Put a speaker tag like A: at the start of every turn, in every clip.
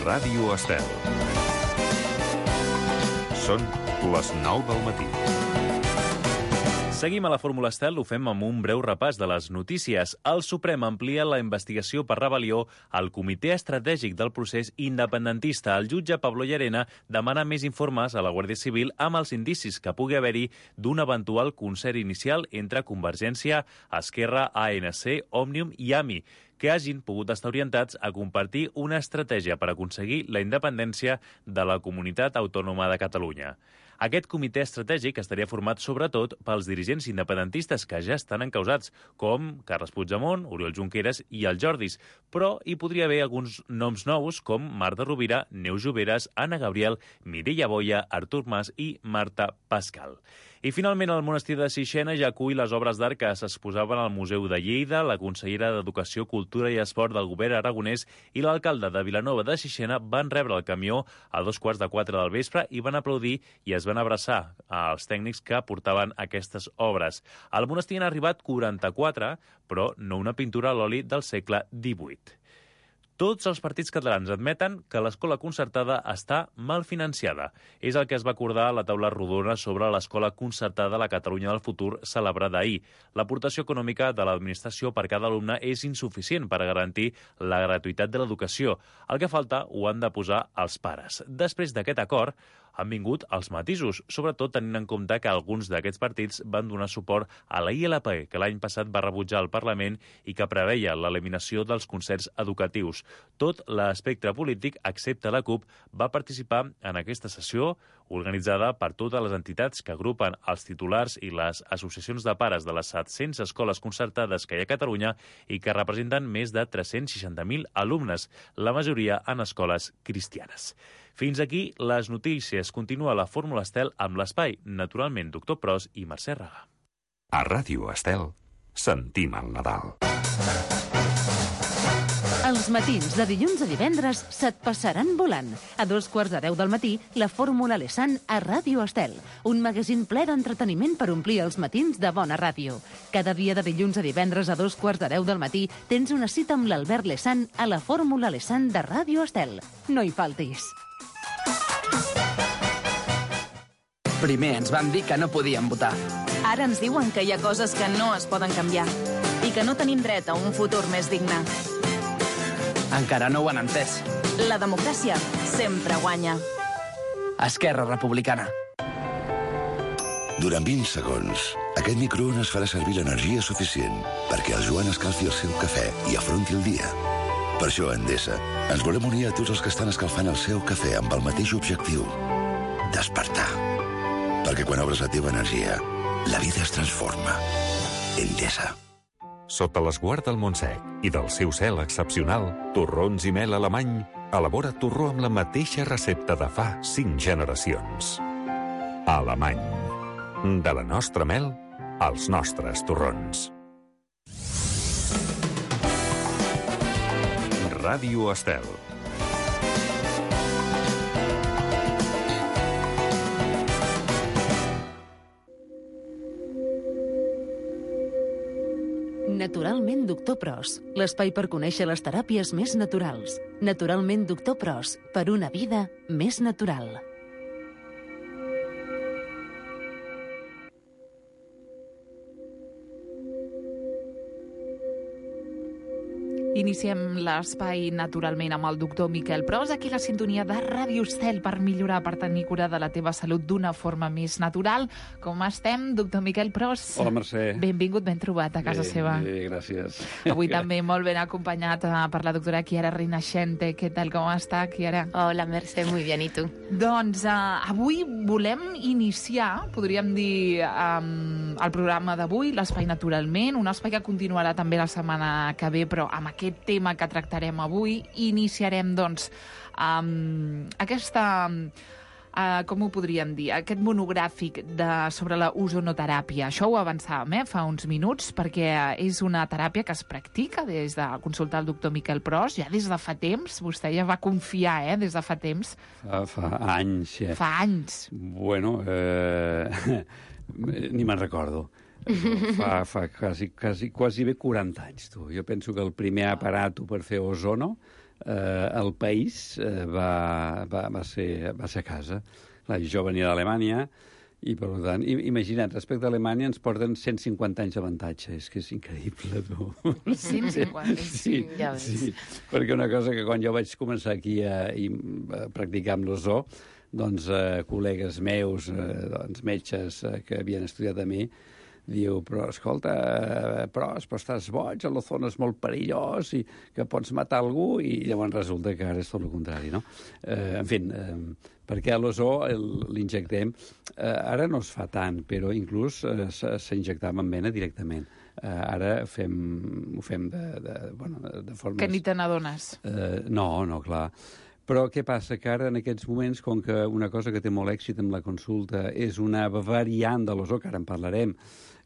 A: Ràdio Estel. Són les 9 del matí.
B: Seguim a la Fórmula Estel, ho fem amb un breu repàs de les notícies. El Suprem amplia la investigació per rebel·lió al Comitè Estratègic del Procés Independentista. El jutge Pablo Llarena demana més informes a la Guàrdia Civil amb els indicis que pugui haver-hi d'un eventual concert inicial entre Convergència, Esquerra, ANC, Òmnium i AMI, que hagin pogut estar orientats a compartir una estratègia per aconseguir la independència de la Comunitat Autònoma de Catalunya. Aquest comitè estratègic estaria format sobretot pels dirigents independentistes que ja estan encausats, com Carles Puigdemont, Oriol Junqueras i el Jordis, però hi podria haver alguns noms nous com Marta Rovira, Neus Lloberes, Anna Gabriel, Mireia Boya, Artur Mas i Marta Pascal. I finalment el monestir de Sixena ja acull les obres d'art que s'exposaven al Museu de Lleida. La consellera d'Educació, Cultura i Esport del govern aragonès i l'alcalde de Vilanova de Sixena van rebre el camió a 3:45 del vespre i van aplaudir i es van abraçar als tècnics que portaven aquestes obres. Al monestir han arribat 44, però no una pintura a l'oli del segle XVIII. Tots els partits catalans admeten que l'escola concertada està mal financiada. És el que es va acordar a la taula rodona sobre l'escola concertada a la Catalunya del futur celebrada ahir. L'aportació econòmica de l'administració per cada alumne és insuficient per garantir la gratuïtat de l'educació. El que falta ho han de posar els pares. Després d'aquest acord, han vingut els matisos, sobretot tenint en compte que alguns d'aquests partits van donar suport a la ILP, que l'any passat va rebutjar el Parlament i que preveia l'eliminació dels concerts educatius. Tot l'espectre polític, excepte la CUP, va participar en aquesta sessió organitzada per totes les entitats que agrupen els titulars i les associacions de pares de les 700 escoles concertades que hi ha a Catalunya i que representen més de 360.000 alumnes, la majoria en escoles cristianes. Fins aquí les notícies. Continua la Fórmula Estel amb l'espai, naturalment, Doctor Pros i Mercè Raga.
A: A Ràdio Estel sentim el Nadal.
C: Els matins de dilluns a divendres se't passaran volant. A 9:45 del matí, la Fórmula Lesan a Ràdio Estel. Un magazín ple d'entreteniment per omplir els matins de bona ràdio. Cada dia de dilluns a divendres a 9:45 del matí tens una cita amb l'Albert Lesan a la Fórmula Lesan de Ràdio Estel. No hi faltis.
D: Primer ens van dir que no podíem votar.
E: Ara ens diuen que hi ha coses que no es poden canviar i que no tenim dret a un futur més digne.
D: Encara no ho han entès.
E: La democràcia sempre guanya.
D: Esquerra Republicana.
F: Durant 20 segons, aquest microones farà servir l'energia suficient perquè el Joan escalfi el seu cafè i afronti el dia. Per això, a Endesa, ens volem unir a tots els que estan escalfant el seu cafè amb el mateix objectiu: despertar. Perquè quan obres la teva energia, la vida es transforma. Endesa.
A: Sota l'esguard del Montsec i del seu cel excepcional, Torrons i Mel Alemany elabora torró amb la mateixa recepta de fa 5 generacions. Alemany. De la nostra mel als nostres torrons. Ràdio Estel.
C: Naturalment Doctor Pros, l'espai per conèixer les teràpies més naturals. Naturalment Doctor Pros, per una vida més natural.
G: Iniciem l'espai naturalment amb el doctor Miquel Pros, aquí la sintonia de Ràdio Estel per millorar, per tenir cura de la teva salut d'una forma més natural. Com estem, doctor Miquel Pros?
H: Hola, Mercè.
G: Benvingut, ben trobat a casa seva.
H: Bé, gràcies.
G: Avui també molt ben acompanyat per la doctora Chiara Rinascente. Què tal, com està, Chiara?
I: Hola, Mercè, muy bien, i tu?
G: Doncs avui volem iniciar, podríem dir, el programa d'avui, l'espai naturalment, un espai que continuarà també la setmana que ve, però amb aquest tema que tractarem avui, iniciarem, doncs, aquesta, com ho podríem dir, aquest monogràfic sobre la ozonoteràpia. Això ho avançàvem fa uns minuts, perquè és una teràpia que es practica des de consultar el doctor Miquel Pros, ja des de fa temps. Vostè ja va confiar, des de fa temps.
H: Fa anys, ja.
G: Fa anys.
H: Bueno, ni me'n recordo. Fa quasi bé 40 anys, tu. Jo penso que el primer aparato per fer ozono el país va ser a casa. Clar, jo venia d'Alemanya i, per tant, imagina't, respecte a Alemanya ens porten 150 anys d'avantatge. És que és increïble, tu.
G: 150,
H: sí,
I: ja ves.
H: sí, perquè una cosa que quan jo vaig començar aquí a practicar amb l'ozó, doncs col·legues meus, metges que havien estudiat a mi, diu, però escolta, però estàs boig, l'ozó és molt perillós i que pots matar algú, i llavors resulta que ara és tot el contrari, no? En fi, perquè l'ozó l'injectem, ara no es fa tant, però inclús s'injectava en vena directament. Ara ho fem de forma...
G: Que ni te n'adones.
H: No, clar. Però què passa? Que ara, en aquests moments, com que una cosa que té molt èxit amb la consulta és una variant de l'ozó, que ara en parlarem,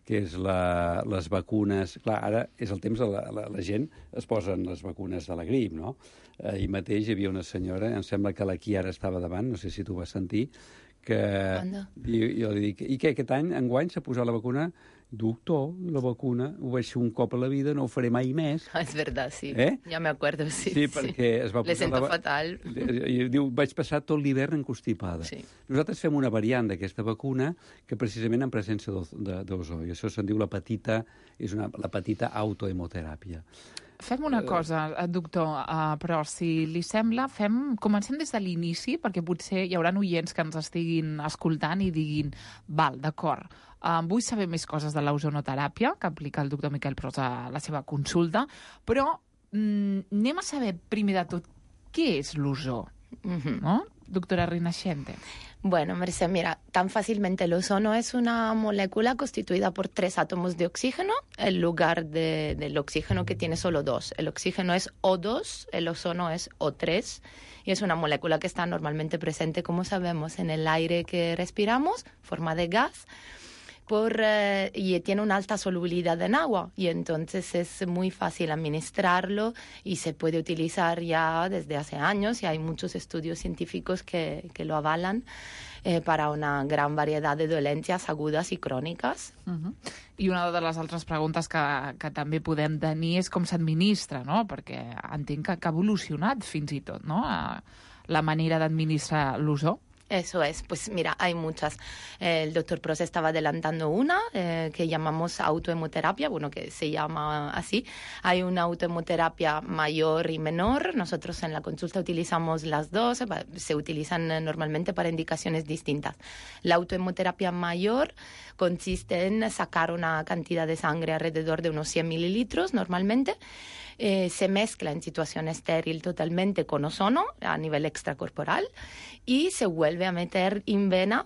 H: que és les vacunes... Clar, ara és el temps de la gent es posen les vacunes de la grip, no? Ahir mateix hi havia una senyora, em sembla que la Kiara estava davant, no sé si tu vas sentir, que... Jo li dic, i què, aquest any, enguany, s'ha posat la vacuna? Doctor, la vacuna, ho vaig fer un cop a la vida, no ho faré mai més.
I: Es verdad, sí.
H: Ja
I: me acuerdo, sí.
H: Sí, perquè es va posar...
I: Le sento fatal.
H: I diu, vaig passar tot l'hivern encostipada.
I: Sí.
H: Nosaltres fem una variant d'aquesta vacuna que precisament en presència d'ozó, i això se'n diu la petita autohemoteràpia.
G: Fem una cosa, doctor, però si li sembla, comencem des de l'inici, perquè potser hi haurà oients que ens estiguin escoltant i diguin, val, d'acord, vull saber més coses de l'ozonoteràpia, que aplica el doctor Miquel Pros a la seva consulta, però anem a saber, primer de tot, què és l'ozó, no? Doctora Rinascente.
I: Bueno, Mercè, mira, tan fácilmente el ozono es una molécula constituida por 3 átomos de oxígeno en lugar del oxígeno que tiene solo 2. El oxígeno es O2, el ozono es O3 y es una molécula que está normalmente presente, como sabemos, en el aire que respiramos, forma de gas, y tiene una alta solubilidad en agua y entonces es muy fácil administrarlo y se puede utilizar ya desde hace años y hay muchos estudios científicos que lo avalan para una gran variedad de dolencias agudas i cròniques.
G: I una de les altres preguntes que també podem tenir és com s'administra, no? Perquè entenc que ha evolucionat fins i tot, no? La manera d'administrar l'ozó.
I: Eso es, pues mira, hay muchas. El doctor Pros estaba adelantando una que llamamos autohemoterapia, bueno, que se llama así. Hay una autohemoterapia mayor y menor. Nosotros en la consulta utilizamos las dos, se utilizan normalmente para indicaciones distintas. La autohemoterapia mayor consiste en sacar una cantidad de sangre alrededor de unos 100 mililitros normalmente. Se mezcla en situación estéril totalmente con ozono a nivel extracorporal y se vuelve a meter en vena,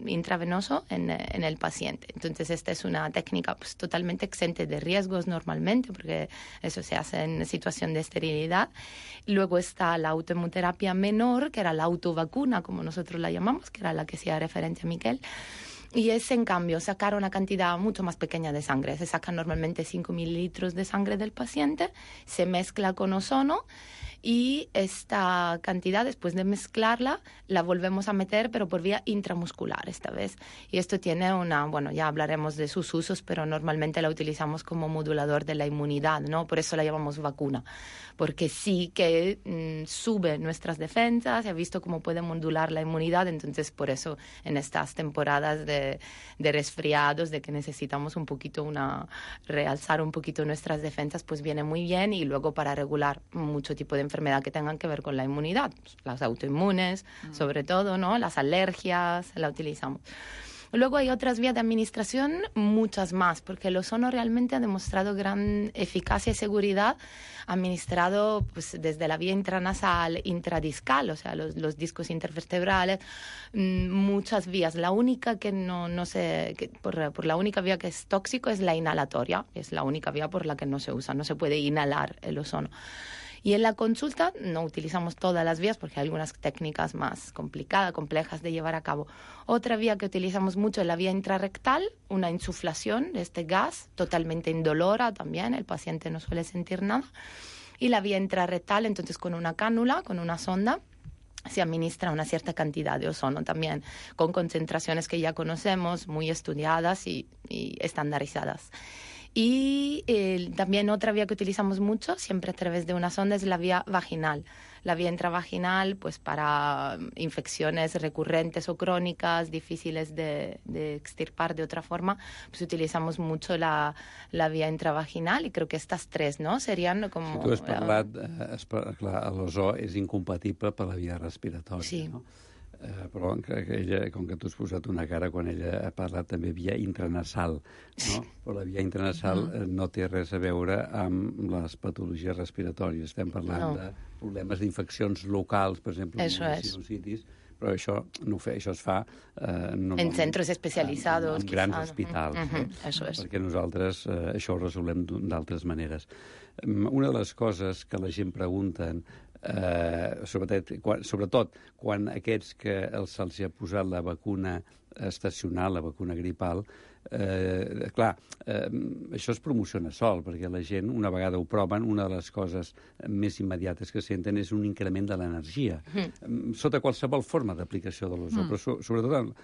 I: intravenoso, en el paciente. Entonces esta es una técnica pues, totalmente exenta de riesgos normalmente, porque eso se hace en situación de esterilidad. Luego está la autohemoterapia menor, que era la autovacuna, como nosotros la llamamos, que era la que hacía referencia a Miquel. Y es, en cambio, sacar una cantidad mucho más pequeña de sangre. Se sacan normalmente 5 mililitros de sangre del paciente, se mezcla con ozono y esta cantidad, después de mezclarla, la volvemos a meter, pero por vía intramuscular esta vez. Y esto tiene bueno, ya hablaremos de sus usos, pero normalmente la utilizamos como modulador de la inmunidad, ¿no? Por eso la llamamos vacuna, porque sí que sube nuestras defensas, se ha visto cómo puede modular la inmunidad, entonces por eso en estas temporadas de resfriados, de que necesitamos un poquito realzar un poquito nuestras defensas, pues viene muy bien, y luego para regular mucho tipo de enfermedad que tengan que ver con la inmunidad, las autoinmunes, sobre todo, ¿no? Las alergias, la utilizamos. Luego hay otras vías de administración, muchas más, porque el ozono realmente ha demostrado gran eficacia y seguridad administrado pues, desde la vía intranasal, intradiscal, o sea, los discos intervertebrales, muchas vías. La única que por la única vía que es tóxico es la inhalatoria, es la única vía por la que no se usa, no se puede inhalar el ozono. Y en la consulta no utilizamos todas las vías porque hay algunas técnicas más complicadas, complejas de llevar a cabo. Otra vía que utilizamos mucho es la vía intrarrectal, una insuflación de este gas, totalmente indolora también, el paciente no suele sentir nada. Y la vía intrarrectal, entonces con una cánula, con una sonda, se administra una cierta cantidad de ozono también, con concentraciones que ya conocemos, muy estudiadas y estandarizadas. Y también otra vía que utilizamos mucho, siempre a través de una sonda, es la vía vaginal. La vía intravaginal, pues para infecciones recurrentes o crónicas, difíciles de extirpar de otra forma, pues utilizamos mucho la vía intravaginal, y creo que estas tres, ¿no?, serían como...
H: Tu has parlat, clar, l'ozó és incompatible per la via respiratòria,
I: sí.
H: No? Però ella, com que tu has posat una cara quan ella ha parlat també via intranasal, no? Però la via intranasal no té res a veure amb les patologies respiratòries. Estem parlant de problemes d'infeccions locals, per exemple, sinusitis, però això es fa...
I: en centres especialitzats.
H: En grans hospitals. Perquè nosaltres això ho resolem d'altres maneres. Una de les coses que la gent pregunten, sobretot quan aquests que se'ls ha posat la vacuna estacional, la vacuna gripal, clar, això es promociona sol, perquè la gent, una vegada ho proven, una de les coses més immediates que senten és un increment de l'energia, sota qualsevol forma d'aplicació de l'ozó, però sobretot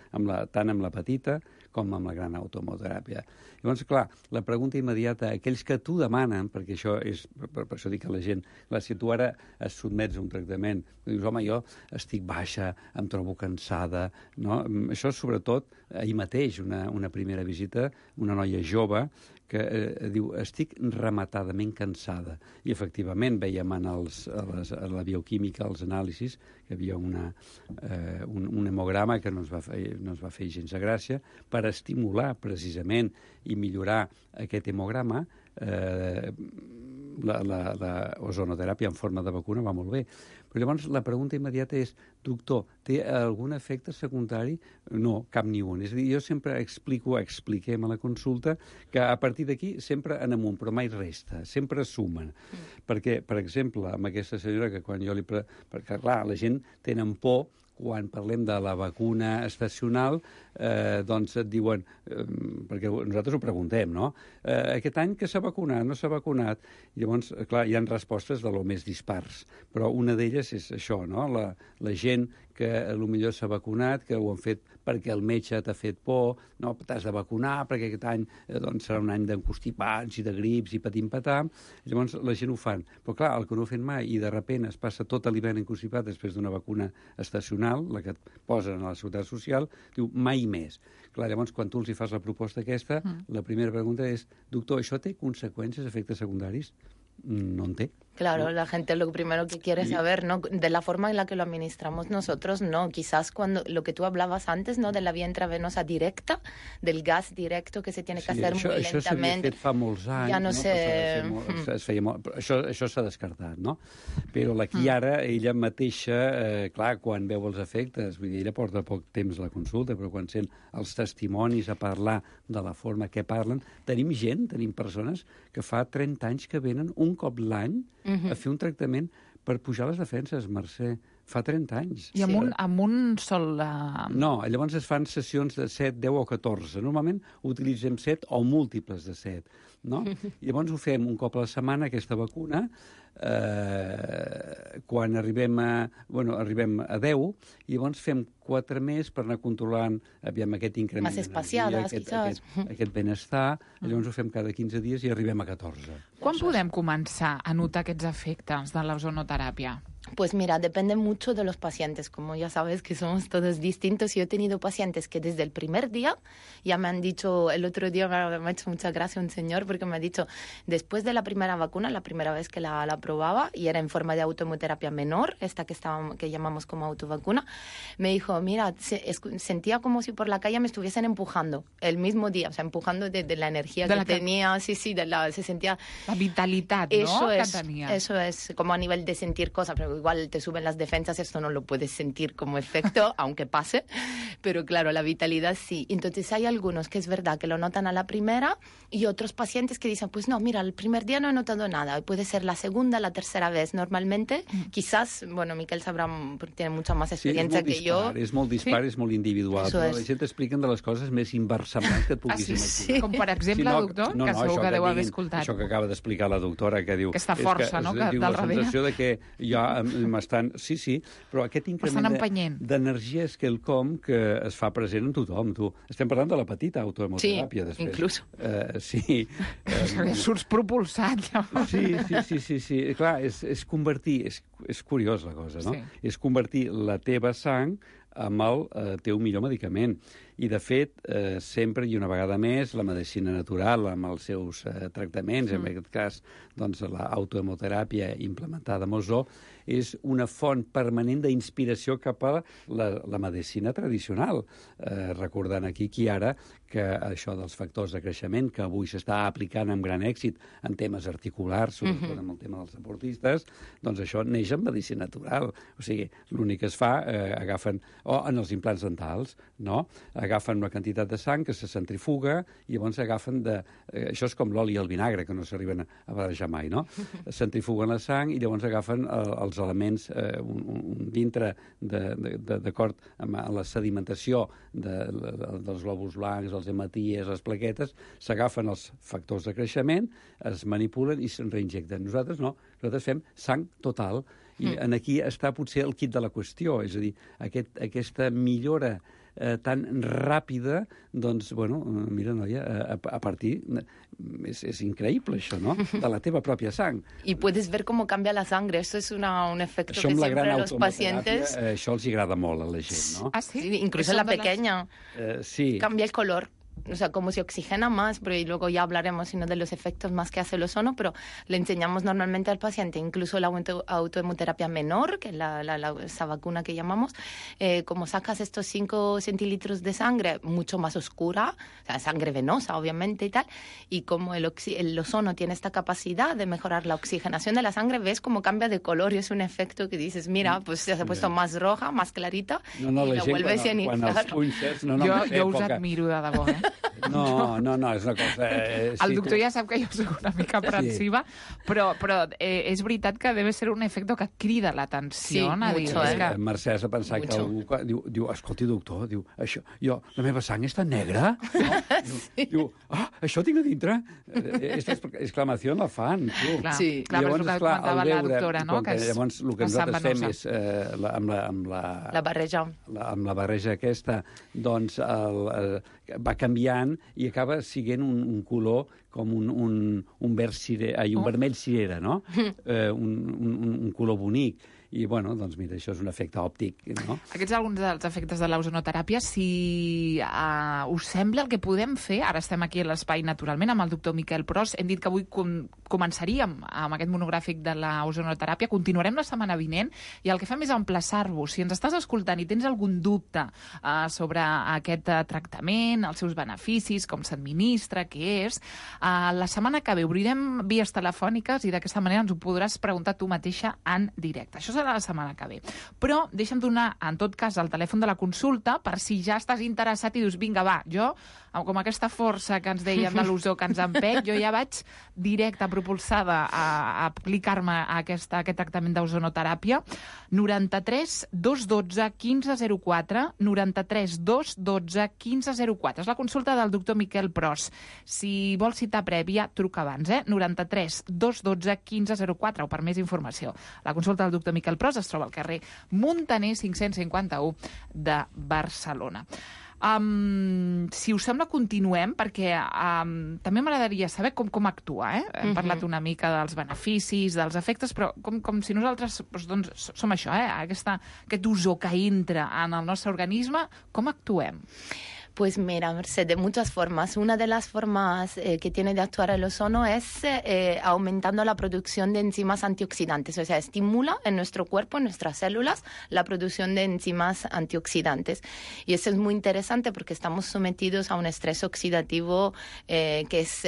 H: tant amb la petita com amb la gran automoteràpia. Llavors, clar, la pregunta immediata, aquells que t'ho demanen, perquè això és, per això dic a la gent, clar, si tu ara es sotmets a un tractament, dius, home, jo estic baixa, em trobo cansada, no? Això, sobretot, ahir mateix, una primera visita, una noia jove que diu, estic rematadament cansada. I, efectivament, veiem a la bioquímica, als anàlisis, que hi havia un hemograma que no ens va fer gens de gràcia, per estimular, precisament, i millorar aquest hemograma, la ozonoteràpia en forma de vacuna va molt bé. Però llavors la pregunta immediata és, doctor, té algun efecte secundari? No, cap ni un. És a dir, jo sempre expliquem a la consulta que a partir d'aquí sempre en amunt, però mai resta, sempre sumen. Perquè, per exemple, amb aquesta senyora que quan jo perquè, clar, la gent tenen por quan parlem de la vacuna estacional, doncs et diuen, perquè nosaltres ho preguntem, no? Aquest any que s'ha vacunat, no s'ha vacunat? I llavors, clar, hi ha respostes de lo més dispars, però una d'elles és això, no? La gent que potser s'ha vacunat, que ho han fet perquè el metge t'ha fet por, no, t'has de vacunar perquè aquest any doncs, serà un any d'encostipats i de grips i patim-patam, llavors la gent ho fan. Però clar, el que no ho fan mai i de sobte es passa tot l'hivern encostipat després d'una vacuna estacional, la que et posen a la Seguretat Social, diu mai més. Clar, llavors, quan tu els hi fas la proposta aquesta, la primera pregunta és, doctor, això té conseqüències, efectes secundaris? No en té.
I: Claro, la gente lo primero que quiere saber, ¿no? De la forma en la que lo administramos nosotros, no. Quizás cuando lo que tú hablabas antes, ¿no? De la vía intravenosa directa, del gas directo que se tiene que hacer muy lentamente. Això s'havia fet
H: fa molts anys.
I: Ja no sé...
H: Això s'ha descartat, no? Però la Chiara, ella mateixa, clar, quan veu els efectes, vull dir, ella porta poc temps a la consulta, però quan sent els testimonis a parlar de la forma que parlen, tenim persones que fa 30 anys que venen un cop l'any a fer un tractament per pujar les defenses, Mercè. Fa 30 anys.
G: I amb un sol...
H: No, llavors es fan sessions de 7, 10 o 14. Normalment utilitzem 7 o múltiples de 7. No? Llavors ho fem un cop a la setmana, aquesta vacuna. Quan arribem a 10, i llavors fem 4 més per anar controlant aquest increment d'energia, aquest benestar. Llavors ho fem cada 15 dies i arribem a 14.
G: Quan podem començar a notar aquests efectes de l'ozonoteràpia?
I: Pues mira, depende mucho de los pacientes. Como ya sabes que somos todos distintos, yo he tenido pacientes que desde el primer día ya me han dicho, el otro día me ha hecho mucha gracia un señor porque me ha dicho, después de la primera vacuna, la primera vez que la probaba, y era en forma de autohemoterapia menor, esta que llamamos como autovacuna, me dijo, mira, sentía como si por la calle me estuviesen empujando el mismo día, o sea, empujando de la energía que tenía, se sentía...
G: La vitalidad, ¿no?
I: Eso es, como a nivel de sentir cosas, pero igual te suben las defensas, esto no lo puedes sentir como efecto, aunque pase, pero claro, la vitalidad sí. Entonces hay algunos que es verdad que lo notan a la primera y otros pacientes que dicen, pues no, mira, el primer día no he notado nada, puede ser la segunda, la tercera vez. Normalmente, quizás, bueno, Miquel sabrà, porque tiene mucha más experiencia que yo.
H: És molt dispar, és molt individual, però la gent expliquen de les coses més inversemblants que et puguis imaginar.
G: Com per exemple, doctor, que segur que deu haver escoltat.
H: Això que acaba d'explicar la doctora, que diu...
G: Aquesta força, no?, del darrere.
H: La sensació de que jo Sí, però aquest increment d'energia és quelcom que es fa present en tothom. Estem parlant de la petita autohemoteràpia, després.
I: Inclús.
H: Sí.
G: Surts propulsat, llavors.
H: Sí. Clar, és convertir... És curiós, la cosa, no? Sí. És convertir la teva sang amb el teu millor medicament. I, de fet, sempre i una vegada més, la medicina natural, amb els seus tractaments, en aquest cas, doncs, l'autohemoteràpia implementada a Mosó, és una font permanent d'inspiració cap a la medicina tradicional. Recordant aquí ara que això dels factors de creixement, que avui s'està aplicant amb gran èxit en temes articulars, sobretot amb el tema dels deportistes, doncs això neix en medicina natural. O sigui, l'únic que es fa, agafen... O en els implants dentals, no? Agafen una quantitat de sang que se centrifuga i llavors agafen de... Això és com l'oli i el vinagre, que no s'arriben a barrejar mai, no? Centrifuguen la sang i llavors agafen els elements dintre, d'acord amb la sedimentació dels glòbuls blancs, els hematies, les plaquetes, s'agafen els factors de creixement, es manipulen i se'n reinjecten. Nosaltres no, nosaltres fem sang total. I aquí està potser el quid de la qüestió, és a dir, aquesta millora tan ràpida, doncs, bueno, mira, noia, a partir... És increïble, això, no? De la teva pròpia sang.
I: Y puedes ver cómo cambia la sangre. Eso es un efecto que siempre los pacientes...
H: Això els agrada molt a la gent, no?
G: Ah, sí?
I: Incluso la pequeña.
H: Sí.
I: Cambia el color. O sea, como se oxigena más, pero y luego ya hablaremos sino de los efectos más que hace el ozono, pero le enseñamos normalmente al paciente, incluso la autohemoterapia menor, que es esa vacuna que llamamos, como sacas estos 5 centilitros de sangre mucho más oscura, o sea, sangre venosa, obviamente, y tal, y como el ozono tiene esta capacidad de mejorar la oxigenación de la sangre, ves cómo cambia de color y es un efecto que dices, mira, pues se ha puesto más roja, más clarita, y la vuelves a iniciar.
G: Jo us admiro, de debò,
H: No, és una cosa...
G: El doctor ja sap que jo soc una mica aprensiva, però és veritat que deve ser un efecte que crida l'atenció.
H: Mercè s'ha pensat que algú diu, escolti, doctor, diu, això, la meva sang està negra? Diu, això tinc a dintre? Aquesta exclamació la fan.
G: Sí, clar, però és el que comentava la doctora, no?
H: Llavors, el que nosaltres fem és, amb
I: la barreja.
H: Amb la barreja aquesta, doncs, va canviant i acaba sent un color com un vermell cirera, no? Un color bonic. I, bueno, doncs mira, això és un efecte òptic, no?
G: Aquests alguns dels efectes de l'ozonoteràpia, si us sembla el que podem fer, ara estem aquí a l'espai naturalment amb el doctor Miquel Pros, hem dit que avui començaríem amb aquest monogràfic de l'ozonoteràpia, continuarem la setmana vinent i el que fem és emplaçar-vos. Si ens estàs escoltant i tens algun dubte sobre aquest tractament, els seus beneficis, com s'administra, què és, la setmana que ve obrirem vies telefòniques i d'aquesta manera ens ho podràs preguntar tu mateixa en directe. Això serà la setmana que ve. Però deixa'm donar, en tot cas, el telèfon de la consulta per si ja estàs interessat i dius, vinga, va, jo, com aquesta força que ens deien de l'ozó que ens empec, jo ja vaig directa, propulsada a aplicar-me aquest tractament d'ozonoteràpia. 93 212 1504, 93 212 1504. És la consulta del doctor Miquel Pros. Si vols citar prèvia, truca abans, 93 212 1504, o per més informació. La consulta del doctor Miquel Pros es troba al carrer Muntaner 551 de Barcelona. Si us sembla, continuem, perquè també m'agradaria saber com actua. Hem parlat una mica dels beneficis, dels efectes, però com si nosaltres som això, aquest ozó que entra en el nostre organisme, com actuem?
I: Pues mira, Merced, de muchas formas. Una de las formas que tiene de actuar el ozono es aumentando la producción de enzimas antioxidantes, o sea, estimula en nuestro cuerpo, en nuestras células, la producción de enzimas antioxidantes. Y eso es muy interesante porque estamos sometidos a un estrés oxidativo que es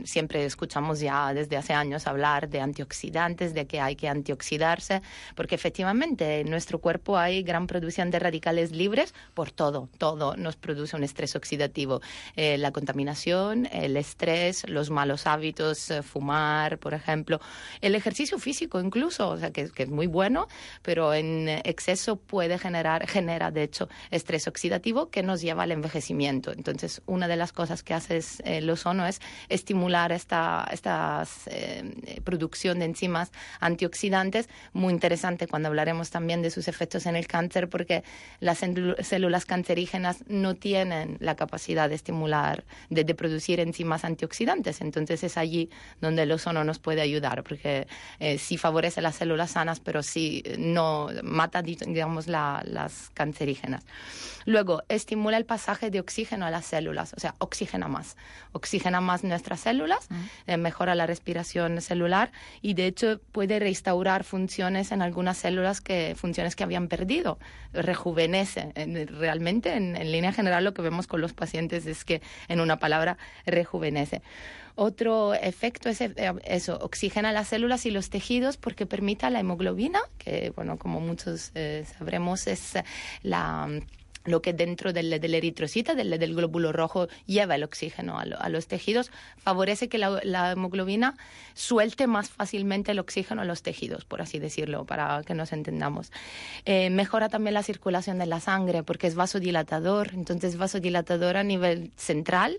I: siempre escuchamos ya desde hace años hablar de antioxidantes, de que hay que antioxidarse, porque efectivamente en nuestro cuerpo hay gran producción de radicales libres por todo nos produce un estrés oxidativo. La contaminación, el estrés, los malos hábitos, fumar, por ejemplo, el ejercicio físico incluso, o sea, que es muy bueno, pero en exceso genera de hecho estrés oxidativo que nos lleva al envejecimiento. Entonces, una de las cosas que hace el ozono es estimular esta producción de enzimas antioxidantes, muy interesante cuando hablaremos también de sus efectos en el cáncer, porque las células cancerígenas no tienen la capacidad de estimular, de producir enzimas antioxidantes. Entonces es allí donde el ozono nos puede ayudar, porque sí favorece las células sanas, pero sí no mata, digamos, las cancerígenas. Luego, estimula el pasaje de oxígeno a las células, o sea, oxigena más nuestras células, mejora la respiración celular y de hecho puede restaurar funciones en algunas células, funciones que habían perdido, rejuvenece. Realmente, en línea general, lo que vemos con los pacientes es que, en una palabra, rejuvenece. Otro efecto es eso, oxigena las células y los tejidos porque permite la hemoglobina, que, bueno, como muchos sabremos, es lo que dentro del eritrocito, del glóbulo rojo, lleva el oxígeno a los tejidos, favorece que la hemoglobina suelte más fácilmente el oxígeno a los tejidos, por así decirlo, para que nos entendamos. Mejora también la circulación de la sangre porque es vasodilatador, entonces vasodilatador a nivel central,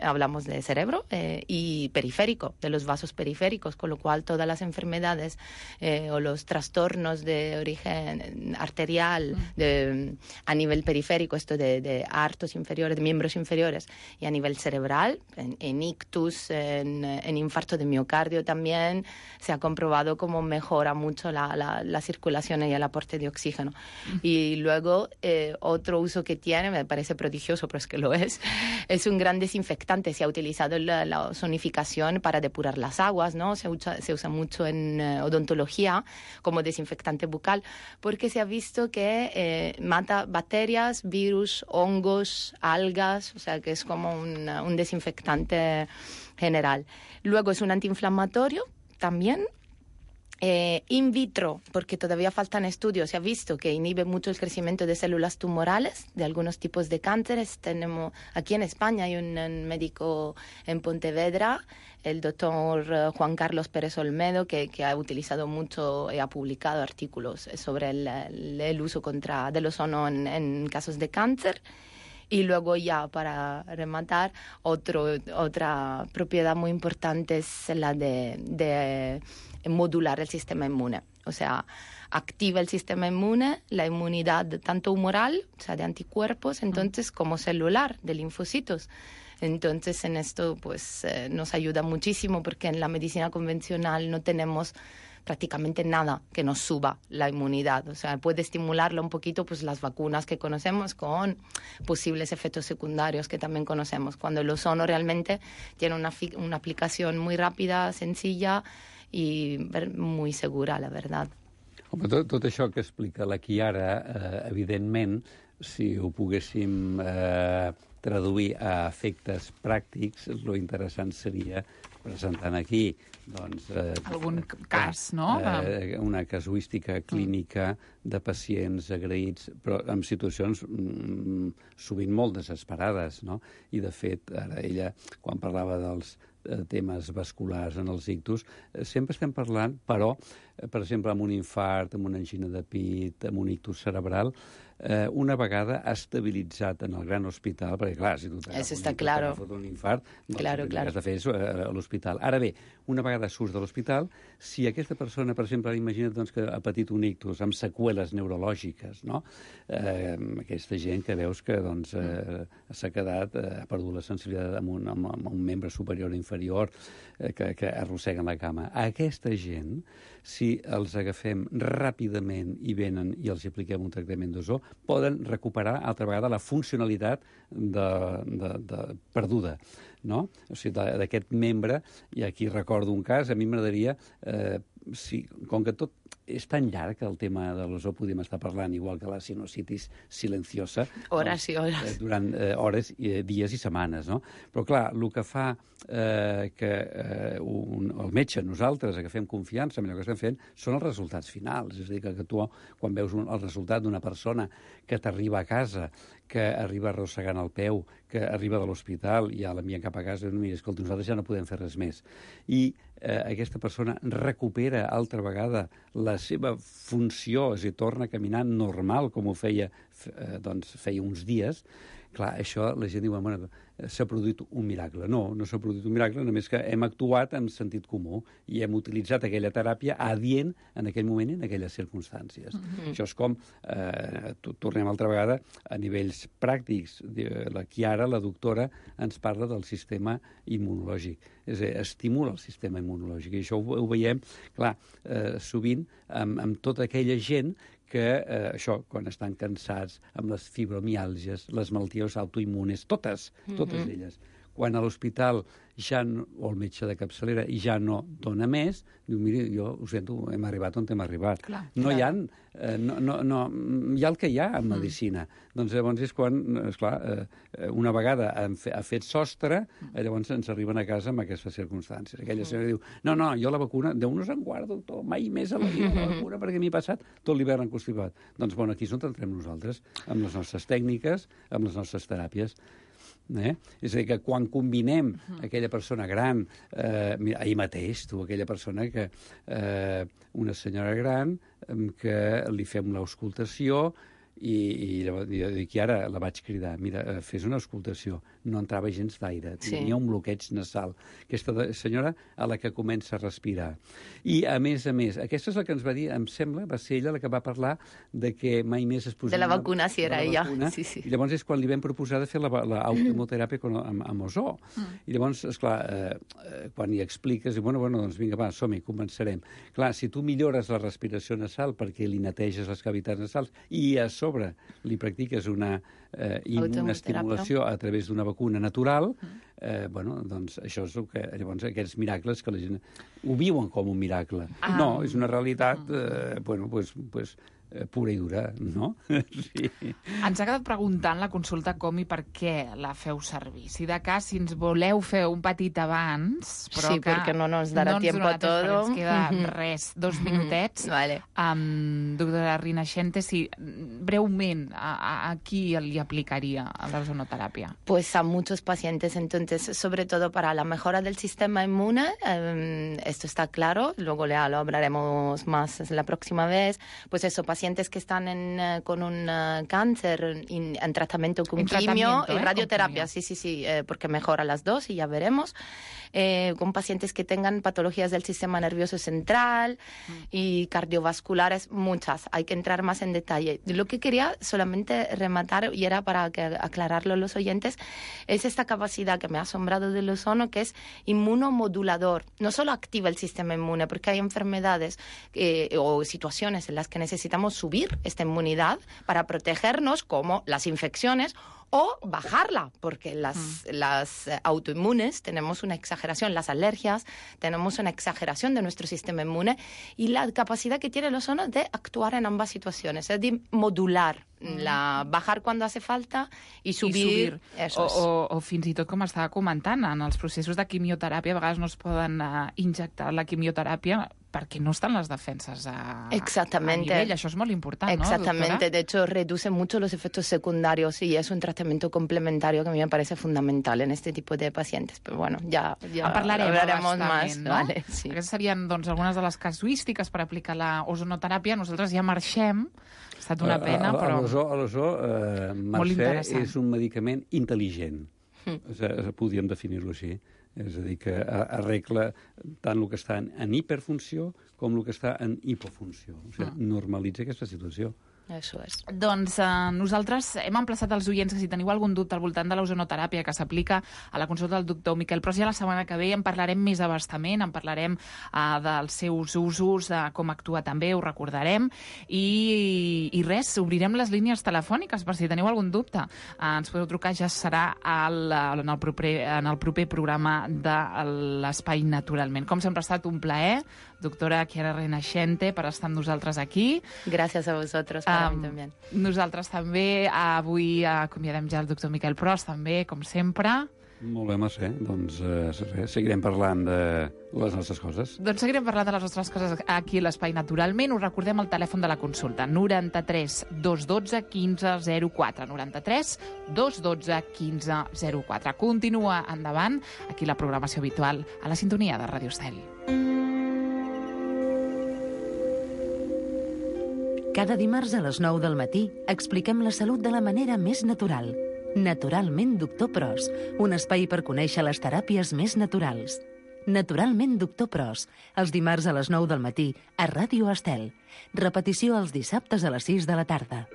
I: hablamos de cerebro y periférico, de los vasos periféricos, con lo cual todas las enfermedades o los trastornos de origen arterial a nivel periférico, esto de aortos inferiores, de miembros inferiores, y a nivel cerebral, en ictus, en infarto de miocardio también, se ha comprobado cómo mejora mucho la circulación y el aporte de oxígeno. Y luego, otro uso que tiene, me parece prodigioso, pero es que lo es un gran desinfectante. Se ha utilizado la ozonificación para depurar las aguas, ¿no? Se usa mucho en odontología como desinfectante bucal, porque se ha visto que mata bacterias, virus, hongos, algas, o sea que es como un desinfectante general. Luego es un antiinflamatorio también. In vitro, porque todavía faltan estudios, se ha visto que inhibe mucho el crecimiento de células tumorales de algunos tipos de cánceres. Tenemos aquí en España hay un médico en Pontevedra, el doctor Juan Carlos Pérez Olmedo, que ha utilizado mucho y ha publicado artículos sobre el uso del ozono en casos de cáncer. Y luego, ya para rematar, otra propiedad muy importante es la de modular el sistema inmune. O sea, activa el sistema inmune, la inmunidad tanto humoral, o sea, de anticuerpos, entonces, como celular, de linfocitos. Entonces, en esto pues nos ayuda muchísimo, porque en la medicina convencional no tenemos prácticamente nada que nos suba la inmunidad. O sea, puede estimularlo un poquito pues las vacunas que conocemos, con posibles efectos secundarios que también conocemos. Cuando el ozono realmente tiene una aplicación muy rápida, sencilla i muy segura, la veritat.
H: Home, tot això que explica la Chiara, evidentment, si ho poguéssim traduir a efectes pràctics, lo interessant seria presentant aquí doncs,
G: algun cas, no?
H: Una casuística clínica de pacients agraïts, però en situacions sovint molt desesperades, no? I, de fet, ara ella, quan parlava dels temes vasculars en els ictus, sempre estem parlant, però, per exemple, amb un infart, amb una angina de pit, amb un ictus cerebral, una vegada ha estabilitzat en el gran hospital, perquè, clar, si tu t'agafes un infart, doncs el que has de fer és a l'hospital. Ara bé, una vegada surts de l'hospital, si aquesta persona, per exemple, imagina't doncs, que ha patit un ictus amb seqüeles neurològiques, no? Aquesta gent que veus que doncs, s'ha quedat, ha perdut la sensibilitat amb un membre superior o inferior, que arrosseguen la cama. A aquesta gent, si els agafem ràpidament i venen i els apliquem un tractament d'ozó, poden recuperar altra vegada la funcionalitat perduda, no? O sigui, d'aquest membre, i aquí recordo un cas, a mi m'agradaria, com que tot és tan llarg el tema de l'ozó, podem estar parlant, igual que la sinusitis silenciosa,
I: hores i hores.
H: Durant hores, dies i setmanes, no? Però, clar, el que fa que el metge, nosaltres, que fem confiança en allò que estem fent, són els resultats finals. És a dir, que tu, quan veus el resultat d'una persona que t'arriba a casa, que arriba arrossegant el peu, que arriba de l'hospital i ja l'envien cap a casa, i escolta, nosaltres ja no podem fer res més. I aquesta persona recupera altra vegada la seva funció, és a dir, torna a caminar normal, com ho feia, feia uns dies. Clar, això la gent diu, bueno, s'ha produït un miracle. No, no s'ha produït un miracle, només que hem actuat en sentit comú i hem utilitzat aquella teràpia adient en aquell moment i en aquelles circumstàncies. Això és com, tornem altra vegada, a nivells pràctics. La Chiara, la doctora, ens parla del sistema immunològic. És a dir, estimula el sistema immunològic. I això ho veiem, clar, sovint amb tota aquella gent que això, quan estan cansats, amb les fibromiàlgies, les malalties autoimmunes, totes elles. Quan a l'hospital ja no, o el metge de capçalera ja no dona més, diu, miri, jo ho sento, hem arribat on hem arribat. Hi ha el que hi ha en medicina. Doncs llavors és quan, esclar, una vegada ha fet sostre, llavors ens arriben a casa amb aquestes circumstàncies. Aquella senyora diu, no, jo la vacuna, Déu nos en guarda, doctor, mai més a la vida la vacuna, perquè m'he passat tot l'hivern enconstipat. Doncs, bueno, aquí és on entrem nosaltres, amb les nostres tècniques, amb les nostres teràpies. És a dir, que quan combinem aquella persona gran, ahir mateix, aquella persona que, una senyora gran, que li fem l'auscultació i dic, i ara la vaig cridar, mira, fes una auscultació, no entrava gens d'aire, tenia un bloqueig nasal. Aquesta senyora a la que comença a respirar. I, a més, aquesta és la que ens va dir, em sembla, va ser ella la que va parlar de que mai més es posaria...
I: De la vacuna, si era ella. Sí.
H: I llavors és quan li vam proposar de fer l'autohemoteràpia amb ozó. I llavors, esclar, quan hi expliques, bueno, doncs vinga, va, som-hi, començarem. Clar, si tu millores la respiració nasal perquè li neteges les cavitats nasals i a sobre li practiques una immunoestimulació a través d'una vacuna natural, bueno, doncs això és el que, llavors, aquests miracles que la gent ho viuen com un miracle. No, és una realitat, bueno, pues pura i dura, no? Sí.
G: Ens ha quedat preguntant la consulta com i per què la feu servir. Si de cas, si ens voleu fer un petit abans, però
I: sí, perquè no nos darà tiempo todo.
G: Ens queda res, 2 minutets.
I: Vale.
G: Doctora Rinascente, si breument a qui li aplicaria la ozonoterapia?
I: Pues a muchos pacientes, entonces, sobre todo para la mejora del sistema inmune, esto está claro, luego lo hablaremos más la próxima vez, pues eso, pacientes que están con un cáncer en tratamiento con quimio y radioterapia, sí, porque mejora las dos y ya veremos. Con pacientes que tengan patologías del sistema nervioso central y cardiovasculares, muchas. Hay que entrar más en detalle. Lo que quería solamente rematar, y era para aclararlo a los oyentes, es esta capacidad que me ha asombrado del ozono, que es inmunomodulador. No solo activa el sistema inmune, porque hay enfermedades o situaciones en las que necesitamos subir esta inmunidad para protegernos, como las infecciones, o bajarla, porque las autoinmunes tenemos una exageración, las alergias, tenemos una exageración de nuestro sistema inmune y la capacidad que tiene el ozono de actuar en ambas situaciones, es de modular, bajar cuando hace falta i subir.
G: O fins i tot, com estava comentant, en els processos de quimioteràpia a vegades no es poden injectar la quimioteràpia perquè no estan les defenses a nivell. Això és molt important,
I: Exactamente.
G: ¿no, doctora?
I: De hecho, reduce mucho los efectos secundarios y es un tratamiento complementario que a mí me parece fundamental en este tipo de pacientes. Pero bueno, ja hablaremos más.
G: No?
I: Vale, sí.
G: Aquestes serien, doncs, algunes de les casuístiques per aplicar la ozonoteràpia. Nosaltres ja marxem. Ha estat una pena, però...
H: L'ozó, Mercè, és un medicament intel·ligent. Podríem definir-lo així. És a dir, que arregla tant el que està en hiperfunció com el que està en hipofunció. O sigui, normalitza aquesta situació.
I: Eso és.
G: Doncs nosaltres hem emplaçat els oients que si teniu algun dubte al voltant de l'ozonoteràpia que s'aplica a la consulta del doctor Miquel Pros, ja la setmana que ve en parlarem més abastament, en parlarem dels seus usos, de com actua també, ho recordarem, i res, obrirem les línies telefòniques per si teniu algun dubte. Ens podeu trucar, ja serà en el proper programa de l'Espai Naturalment. Com sempre ha estat un plaer, doctora Chiara Renaixente, per estar amb nosaltres aquí.
I: Gràcies a vosaltres, per mi també.
G: Nosaltres també, avui acomiadem ja el doctor Miquel Pros, també, com sempre.
H: Molt bé, Mercè. Doncs seguirem parlant de les nostres coses.
G: Doncs seguirem parlant de les nostres coses aquí a l'Espai Naturalment. Us recordem el telèfon de la consulta, 93 212 1504. 93 212 1504. Continua endavant, aquí la programació habitual a la sintonia de Ràdio Estel.
C: Cada dimarts a les 9 del matí expliquem la salut de la manera més natural. Naturalment Doctor Pros, un espai per conèixer les teràpies més naturals. Naturalment Doctor Pros, els dimarts a les 9 del matí a Ràdio Estel. Repetició els dissabtes a les 6 de la tarda.